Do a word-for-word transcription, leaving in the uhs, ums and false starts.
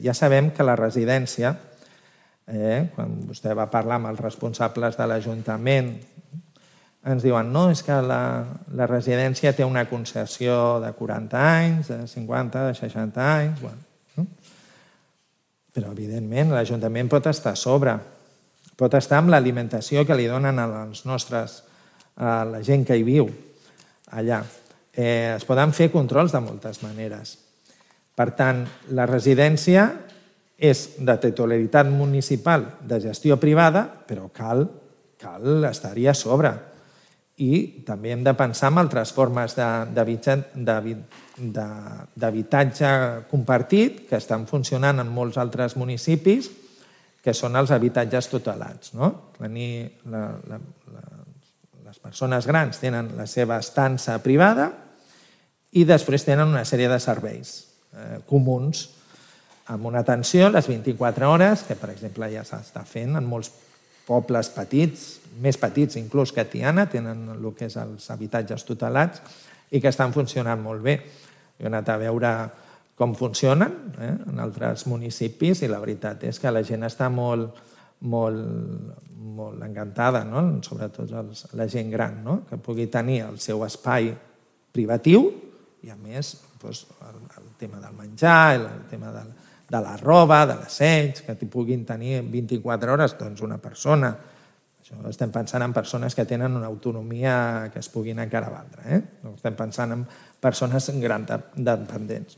Ja sabem que la residència, eh, quan vostè va parlar amb els responsables de l'Ajuntament, ens diuen no, és que la, la residència té una concessió de quaranta anys, de cinquanta, de seixanta anys... Bueno, no? Però, evidentment, l'Ajuntament pot estar a sobre. Pot estar amb l'alimentació que li donen als nostres, a la gent que hi viu allà. Eh, es poden fer controls de moltes maneres. Per tant, la residència és de titularitat municipal, de gestió privada, però cal, cal estar-hi a sobre. I també hem de pensar en altres formes d'habitatge compartit que estan funcionant en molts altres municipis, que són els habitatges tutelats. Les persones grans tenen la seva estança privada i després tenen una sèrie de serveis comuns amb una atenció a les vint-i-quatre hores, que per exemple ja s'està fent en molts pobles petits, més petits inclús que Tiana, tenen el que és els habitatges tutelats i que estan funcionant molt bé. Jo he anat a veure com funcionen en altres municipis i la veritat és que la gent està molt, molt encantada, sobretot la gent gran, que pugui tenir el seu espai privatiu i a més el tema del menjar, el tema del de la roba, de l'asseig, que puguin tenir vint-i-quatre hores una persona. Estem pensant en persones que tenen una autonomia que es puguin encara valdre. Estem pensant en persones grans dependents.